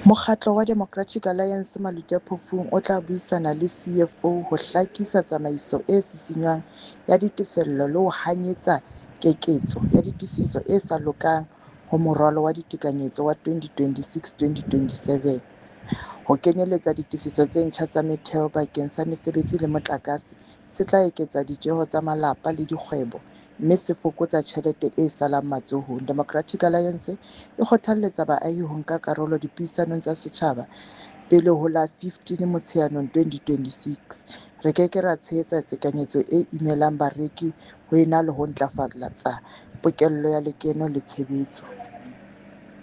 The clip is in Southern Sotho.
Mokgatlo wa Democratic Alliance Maluti-a-Phofung o tla buisana le CFO ho hlakisa tsamaiso e sisinngwang ya ditefello le ho hanyetsa keketso ya ditefiso e sa lokang ho Moralo wa Ditekanyetso wa 2026-2027. Ho kenyeletsa ditefiso tse ntjha tsa metheo bakeng sa mesebetsi le motlakase se tla eketsa ditjeho tsa malapa le dikgwebo mme se fokotsa tjhelete e salang matsohong. Democratic Alliance e kgothaletsa baahi ho nka karolo dipuisanong tsa setjhaba pele ho la 15 Motsheanong 2026. Re ke ke ra tshehetsa tekanyetso e imelang bareki ho ena le ho ntlafatsa pokello ya lekeno le tshebetso.